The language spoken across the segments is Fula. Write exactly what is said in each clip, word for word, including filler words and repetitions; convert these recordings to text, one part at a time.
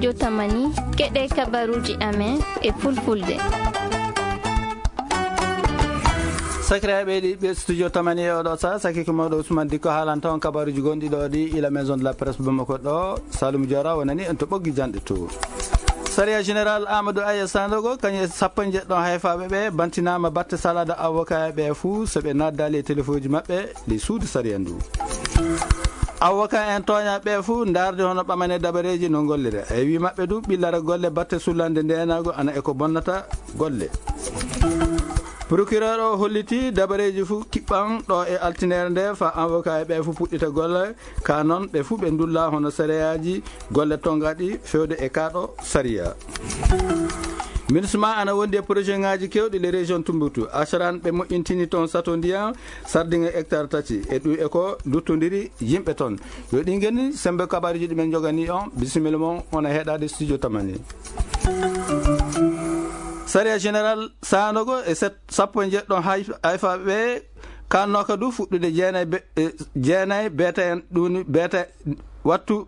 Jotamani, keɗe kabaruuji amen e fulfulde. Sakiraaɓe ɗi ɓe studio Tamani e oɗo sa, saki ko mawɗo Ousmane Dikko haalanta on kabaruuji gonɗi ɗo ɗi ila Maison de la Presse Bamako ɗo, Saloum Diora wonani en to ɓoggi janɗe to. Sariya Général Amadou Aya Sandogo, kañum e sappo e jeɗɗo hayfaaɓe ɓe, bantinaama batte salade avocat ɓe fuu, so ɓe naddaali e telefoji maɓɓe, ɗi suudu sariya ndu. Avocat en tooñaa ɓe fuu, ndaarde hono ɓamane dabareeji no ngollira. E wi maɓɓe du, ɓillara golle batte sullande ndeenaagu ana e ko bonnata golle. Procureur o holliti dabareeji fuu kiɓɓan ɗo e altinere nde fa avocat e ɓe fuu puɗɗita golle, ka noon ɓe fuu ɓe ndulla hono sariyaaji golle tongaɗi fewde e kaɗo sariya. Minusma ana wondi e projet ngaji kewɗi les régions Tumbuktu. Asaran ɓe moƴƴintini toon sato ndiyan, sardiŋe hectare tati. E ɗum e ko luttondiri yimɓe toon. Yo ɗin geni sembe kabaruji ɗi men jogani on, bisimilla mon, on e heɗade studio Tamani. Sariya Général Sanogo e set-, sappo e jeɗɗo hay-, hayfaaɓe ɓe kannooka du fuɗɗude jeenay be-, e, jeenay beete en ɗuni beete wattu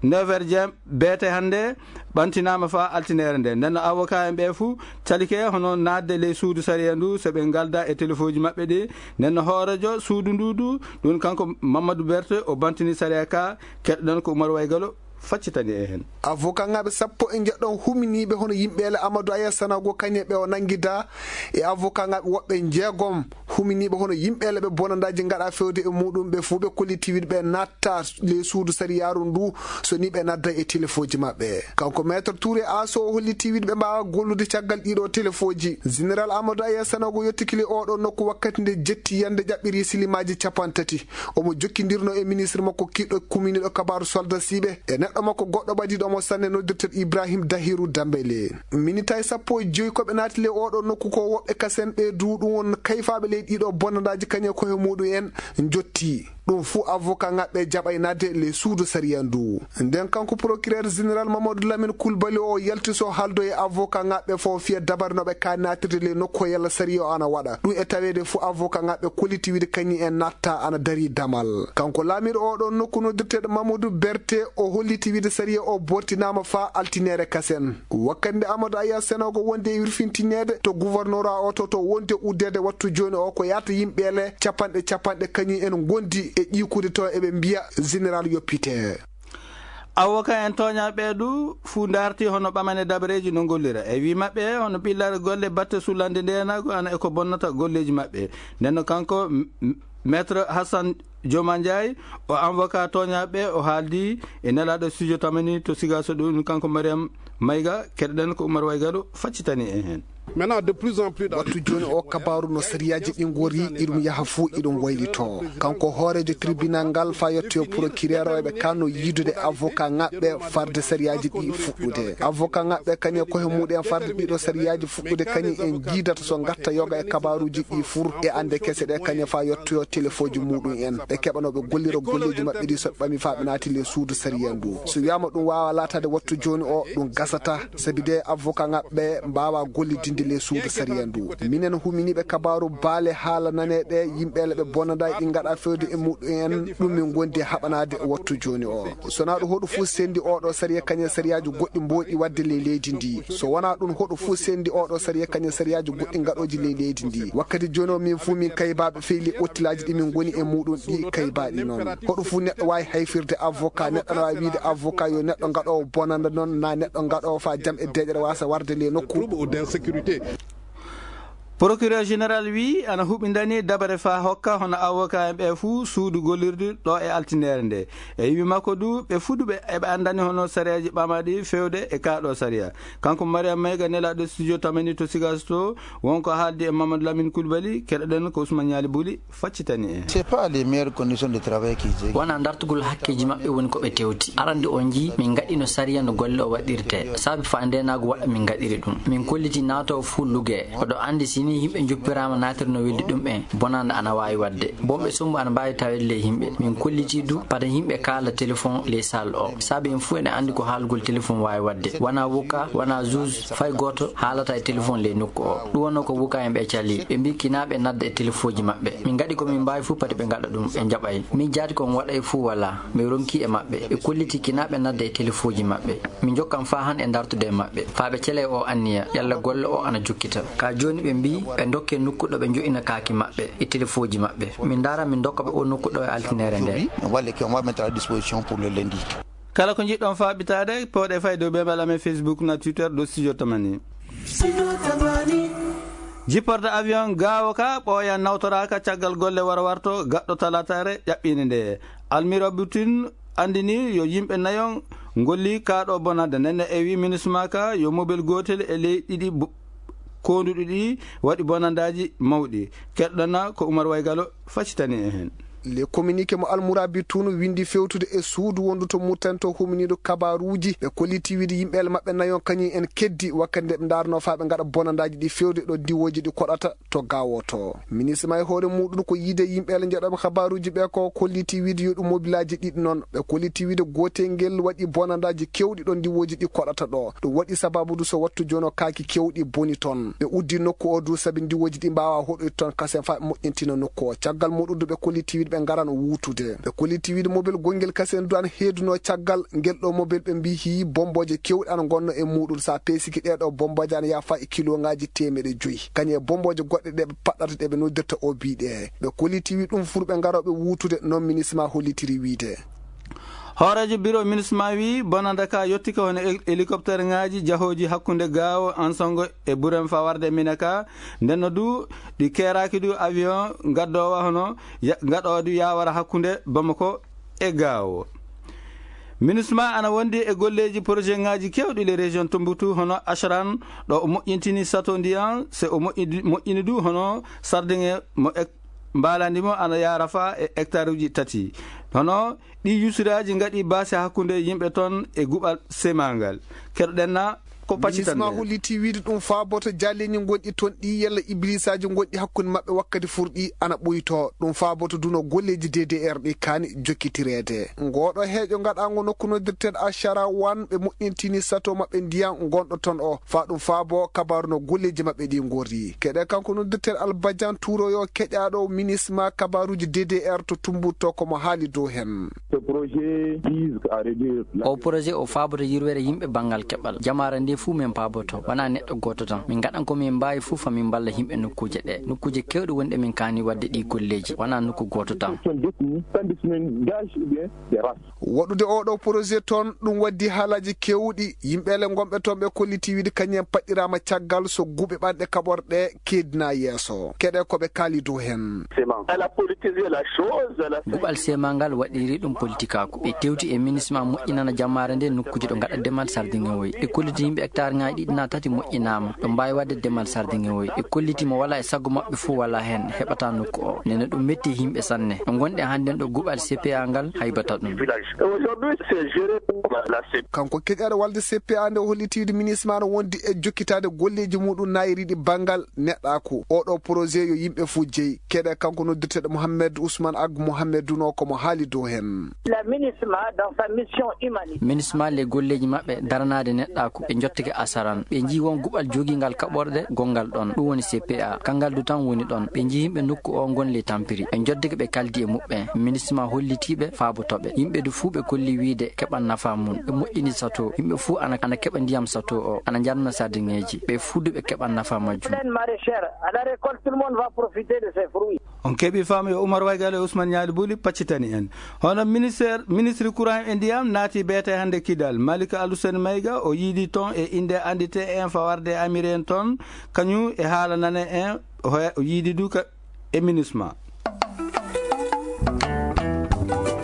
neuf heures jam beete hannde ɓantinaama fa altinere nde. Nden no avocat en ɓe fuu calike hono naatde ley suudu sariya ndu so ɓe ngalda e telefoji maɓɓe ɗi. Nden no hoorejo suudu ndu du, ɗum kanko Mamadou Berté o bantini sariya ka, keɗɗen ko Oumar Waygalo faccitani e heen. Avocat ŋaaɓe sappo e jeɗɗo huminiiɓe hono yimɓeele Amadou Aya Sanago kañe ɓe o nanngida e avocat ŋaaɓe woɓɓe jeegom huminiiɓe hono yimɓeele ɓe bonandaaji ngaɗa fewde e muɗum ɓe fuu ɓe kolliti wiɗɓe natta ley suudu sariyaaru ndu so ni ɓe nadda e telefoji maɓɓe. Kanko Maître Touré Aso o holliti wiɗɓe mbaawa gollude caggal ɗiɗo telefoji. Général Amadou Aya Sanago yettiki le oɗo nokku wakkati nde jetti yande ƴaɓɓiri silimaaji capanɗe tati. Omo jokkindirno e ministre makko kiɗɗo kuminiɗo kabaaru soldasiiɓe e neɗɗo makko goɗɗo ɓadiɗo mo sanne noddirteɗo Ibrahim Dahiru Dambele. Minitaji sappo e joyi ko ɓe naati le oɗo nokku ko woɓɓe kasen ɓe du ɗum won kayfaaɓe ley ɗiɗo bonnandaaji kañe koye muɗum en jotti. Ɗum fuu avocat ngaɓɓe jaɓay naatde le suudu sariya ndu. Nden kanko procureur général Mamadou Lamine Coulibaly o yalti so haaldo e avocat ngaɓɓe fo fiya dabare no ɓe ka naatirde le nokku yalla sariya o ana waɗa. Ɗum e taweede fuu avocat ngaɓɓe kolliti wiide kañum en natta ana dari damal. Kanko laamiiɗo oɗo nokku noddirteɗo Mamadou Berté o holliti wiide sariya o bortinaama fa altinere kasen. Wakkati nde Amadou Aya Senogo wondi e wirfintineede to gouverneur o to, to wondi e uddeede wattu jooni o ko yaata yimɓeele capanɗe capanɗe kañum en ngondi e ƴiikude to eɓe mbiya général yoppite. Avocat en tooñaaɓe du fuu ndaarti hono ɓamane dabareeji no ngollira. E wi maɓɓe hono ɓillare golle batte sullande ndeenaagu ana e ko bonnata golleeji maɓɓe. Nden no kanko m-, m-, Maître Hassan Dioma Ndiaye, o avocat tooñaaɓe, o haaldi e nelaaɗo studio Tamani to Sigaso ɗo, ɗum kanko Mariam Mayga, keɗoɗen ko Oumar Waygalo faccitani en heen. Maintenant, de plus en plus dans wattu jooni o kabaaru no sariyaaji ɗi ngori, iɗum yaha fuu iɗum waylito. Kanko hooreejo tribunal ngal fa yettoyo procureur o eɓe kanno yiidude avocat ngaɓɓe farde sariyaaji ɗi fuɗɗude. Avocat ngaɓɓe kañum e koye muɗum farde ɗiɗo sariyaaji fuɗɗude kañum en jiidata so ngatta yoga e kabaaruuji ɗi fur e annde kese ɗe kañum fa yettoyo telefoji muɗum en. Ɓe keɓano ɓe gollira golleeji maɓɓe ɗi so ɓami fa ɓe naati le suudu sariya ndu. So wiyaama ɗum waawa laataade wattu jooni o, ɗum gasata. Sabi de avocat ngaɓɓe mbaawa gollidinde le suudu sariya ndu. Minen huminiiɓe kabaaru baale haala naneeɓe yimɓeele ɓe bonnadaa ɗi ngaɗa fewde e muɗum en, ɗum min ngondi haɓanaade wattu jooni o. So na ɗum hoɗo fuu sendi oɗo sariya kañum sariyaaji goɗɗi mbooɗi waɗde le leydi ndi. So wonaa ɗum hoɗo fuu sendi oɗo sariya kañum sariyaaji goɗɗi ngaɗooji le leydi ndi. Wakkati jooni o min fuu min kaybaaɓe feyli ottilaaji ɗi min ngoni e muɗum ɗi kaybaaɗi noon. Hoɗo fuu neɗɗo waawi hayfirde avocat, neɗɗo na waawi wiide avocat yo neɗɗo ngaɗoowo bonanda noon, na neɗɗo ngaɗoowo fa jam e deeƴere waasa warde le nokku. Trouble ou d'insécurité. Procureur général wi ana huɓindani dabare fa hokka hono avocat en ɓe fuu suudu gollirdu ɗo e altinere nde. E wi makko du ɓe fuɗuɓe eɓe andani hono sareeji ɓamaɗi fewde e kaɗo sariya. Kanko Mariam Mayga nelaaɗo studio Tamani to Sigaso to wonko haaldi e Mamadou Lamine Coulibaly, keɗoɗen ko Ousmane Nialy Bouli. Faccitani en. C'est pas les meilleures conditions de travail qu'ils aient. Wona dartugol hakkeeji maɓɓe woni ko ɓe tewti. Arande o njii min ngaɗino sariya no golle o waɗirte. Saabi fa ndeenaagu waɗa min ngaɗiri ɗum. Min kolliti naatoowo fuu lugee. Oɗo anndi sini Yimɓe njoppiraama naatirno weldi ɗum en, bonanda ana waawi waɗde. Bonɓe sombu ana mbaawi taweede ley yimɓe. Min kolliti du, pata yimɓe kaala telefon ley salle o. Saabe en fuu eɗen anndi ko haalgol telefon waawi waɗde. Wanaa wuka, wanaa juge, fay gooto haalata e telefon ley nokku o. Ɗum wonno ko wuka en ɓe cali. Ɓe mbii kinaa ɓe nadda e telefooji maɓɓe. Min ngaɗi ko min mbaawi fuu, pati ɓe ngaɗa ɗum, ɓe njaɓay. Min jaati ko on waɗay fuu walaa. Min ronki e maɓɓe. Ɓe kolliti kinaa ɓe nadda e telefooji maɓɓe. Min njokkan faa han e dartude e maɓɓe. Faa ɓe cele o anniya, yalla golle o ana jokkita. Ka jooni ɓe mbii ɓe dokke nokku ɗo ɓe njo'ina kaaki maɓɓe e telefooji maɓɓe. Min ndaara min dokka ɓe o nokku ɗo e altinere nde. Walle que on va mettre à disposition pour le lundi. Kala ko njiɗɗon faaɓitaade, pooɗe fay dow bebal amen Facebook na Twitter dow Studio Tamani. Jipporde avion gaawo ka ɓooya nawtoraaka caggal golle wara warto gaɗɗo talataare ƴaɓɓiinde nde. Almiro Butin anndini yo yimɓe nayon ngolli kaaɗo bonande nenne e wi minisma ka yo mobel gootel e ley ɗiɗi bo-, koonduɗi ɗi waɗi bonandaaji mawɗi. Keɗɗana ko Umar Waygalo faccitani en heen. Le communiqué mo Almourabi Toune windi fewtude e suudu wondu to Murtani to huminiiɗo kabaruuji, ɓe kolliti wiide yimɓeele maɓɓe nayon kañum en keddi wakkati nde ɓe ndaarnoo faa ɓe ngaɗa bonandaaji ɗi fewde ɗo diwooji ɗi koɗata to gawoto. Minisma e hoore muɗum ko yiide yimɓeele njaɗooɓe kabaruuji ɓe ko kolliti wiide yo ɗum mobilaaji ɗiɗi noon. Ɓe kolliti wiide gootel ngel waɗi bonandaaji kewɗi ɗo diwooji ɗi koɗata ɗo. Ɗum waɗi sababu du so wattu jono kaaki kewɗi boni toon. Ɓe uddi nokku o du sabi diwooji ɗi mbaawa hoɗoyde toon kasen faa ɓe moƴƴintina nokku o. Caggal muɗum du ɓe kolliti wiide ɓe ngaran wuutude. Ɓe kolliti wiide mobel gongel kasen du ana heedunoo caggal ngel ɗo mobel ɓe mbii hii bombooje kewɗe ana ngonnoo e muɗum. So a peesiki ɗee ɗo bombooje ana yaafa e kilongaaji teemeɗe joyi. Kañum e bombooje goɗɗe ɗe ɓe paɗɗata ɗe ɓe noddirta o bii ɗe. Ɓe kolliti wiide ɗum fuu ɓe ngarooɓe wuutude noon minisma hollitiri wiide. Hooreejo biro minisma wi bonanda ka yottike hono hel-, helicopterŋaaji jahooji hakkunde Gaawo, Ansongo e Burem faa warde Minaka. Nden no du ɗi keeraaki du avion gaddoowa hono ya-, gaɗoowa du yaawara hakkunde Bamako e Gaawo. Minisma ana wondi e golleeji projetŋaaji kewɗi le région Tombouctou hono Ashran ɗo o moƴƴintini sato ndiyan se o moƴƴidi-, moƴƴini du hono sardiŋe mo ek-, mbaalandi mo ana yaara faa e hectare uji tati. Hono ɗi yusiraaji ngaɗi baasi hakkunde yimɓe toon e guɓal semangal. Keɗoɗen na ko pacitan minisma holliti wiide ɗum faaboto jaleeji gonɗi toon ɗi yalla iblisaaji gonɗi hakkunde maɓɓe wakkati furɗi ana ɓuyto. Ɗum faaboto duno golleeji D D R ɗi kaani jokkitireede. Ngoɗo heeƴo ngaɗaango nokku noddirteeɗo Ashara wan ɓe moƴƴintini sato maɓɓe ndiyan gonɗo toon o. Faa ɗum faabo kabaaru no golleeji maɓɓe ɗi ngorri. Keɗe kanko noddirteeɗo Albajan Tuuroyo keƴaaɗo minisma kabaaruuji D D R to Tumbutto ko mo haali dow heen. Ce projet vise à réduire la O projet o faaboto yirwere yimɓe banngal keɓal. Jamaare nde fuu min paaboto. Wonaa neɗɗo gooto tan. Min ngaɗan ko min mbaawi fuu faa min mballa yimɓe nokkuuje ɗe. Nokkuuje keewɗe wonɗe min kaani waɗde ɗi golleeji. Wonaa nokku gooto tan. Sont définis, tandis min gage ou bien des races. Waɗude oo ɗoo projet toon, ɗum waddi haalaaji keewɗi. Yimɓeele ngonɓe toon ɓe kolliti wiide kañum en paɗɗiraama caggal so guɓe ɓanɗe kaɓorɗe keedinaa yeeso. Keɗe ko ɓe kaali dow heen. Ciment. Elle a politisé la chose, elle a Guɓal semangal waɗiri ɗum politikaaku. Ɓe tewti e minisma moƴƴinana jammaare nde nokkuuje ɗo ngaɗa demal sardiŋewoy. Ɓe kolliti yimɓe hectareŋaaji ɗiɗi naa tati moƴƴinaama. Ɗo mbaawi waɗde demal sardiŋewoy. Ɓe kolliti mo walaa e sago maɓɓe fuu walaa heen heɓata nokku o. Nene ɗum metti e yimɓe sanne. Ɗo ngonɗen hannden ɗo guɓal C P A ngal haybata ɗum. Village. Et aujourd'hui, c'est géré par la C P A. Kanko keƴaɗo walde C P A nde o holliti wiide minisma no wondi e jokkitaade golleeji muɗum naayiriiɗi banngal neɗɗaaku. Oo ɗoo projet yo yimɓe fuu jeyi. Keɗe kanko noddirteeɗo Mohamed Ousmane Ag Mohamed Duno ko mo haali dow heen. La minisma dans sa mission humanitaire. Minisma le golleeji maɓɓe daranaade neɗɗaaku ɓe njottike asaran. Ɓe njii won guɓal jogingal kaɓorɗe gonngal ɗon. Ɗum woni C P A. Kanngal du tan woni ɗon. Ɓe njii yimɓe nokku o ngon le tampiri. Ɓe njoddike ɓe kaldi e muɓɓen. Minisma hollitiiɓe faabotooɓe. Yimɓe du fuu ɓe kolli wiide keɓan nafa mum. Ɓe moƴƴini sato. Yimɓe fuu ana, ana keɓa ndiyam sato o. Ana njarna sardiŋeeji. Ɓe fuu du ɓe keɓan nafa majjum. Plaine maraîchère, à la récolte, tout le monde va profiter de ses fruits. On keɓi faamu yo Umar Waygal e Ousmane Ñaali Buli paccitani en. Hono ministère, ministre courant e ndiyam naati beete hannde Kidal. Malika Alusen Mayga o yiidi toon e innde anndite en fawarde amiri en toon, kañum e haala nane en, o he-, o yiidi du ka e minisma.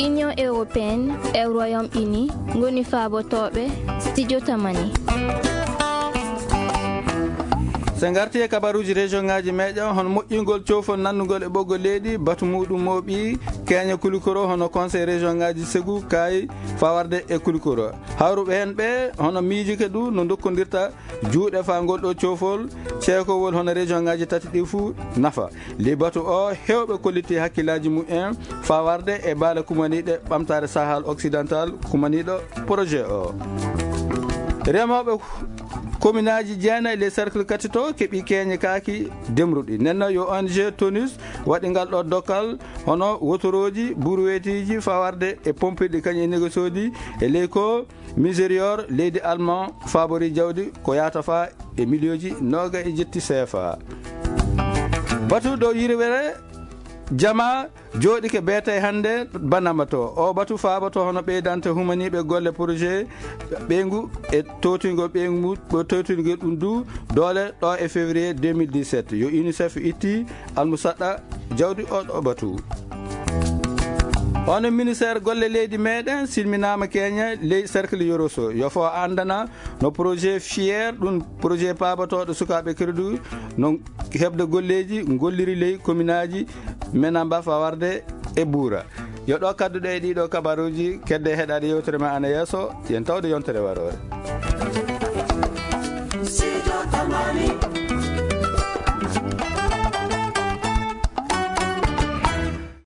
Union européenne e Royaume-Uni ngoni faabotooɓe Studio Tamani. So ngarti e kabaruuji région ngaji meɗen, hono moƴƴingol coofol nannugol e ɓoggol leydi, batu muɗum mooɓi keeña Kulikoro, hono conseil région ngaji Segu, Kaayi, fawarde e Kulikoro. Hawruɓe heen ɓe, hono miijuke du no dokkondirta juuɗe faa ngol ɗo coofol ceekowol hono région ngaji tati ɗi fuu nafa. Ley batu o, heewɓe kolliti hakkillaaji mumen fawarde e baale kumaniiɗe ɓamtaare Sahel Occidental kumaniiɗo projet o. Remooɓe kominaaji jeenayi ley cercle katito keɓi keeñe kaaki demruɗi. Nenno yo O N G Tonus waɗi ngal ɗo dokkal, hono wotorooji, buruweetiiji fawarde e pompirɗi kañum e négosoji e ley ko Miserior leydi Allemand faabori jawdi ko yaata faa e miliyonji nooga e jetti seefa. Batu dow yirwere jama jooɗike beetay hannde banama to. O batu faaboto hono ɓeydante humaniiɓe golle projet ɓeyngu e towtingol ɓeyngu mu-, ɓe towtingol ɗum du doole ɗo e février deux mille dix-sept. Yo UNICEF itti almusaɗɗa jawdi o ɗo batu. Hono ministère golle leydi meɗen silminaama keeña ley cercle Yoroso. Yo fo anndana no projet fier ɗum projet paabotooɗo sukaaɓe crédit no heɓde golleeji ngolliri ley kominaaji menamba fawarde e buura. Yo ɗo kadduɗe e ɗiɗo kabaruuji kedde heɗaade yewtere ma ana yeeso, yen tawde yontere waroore.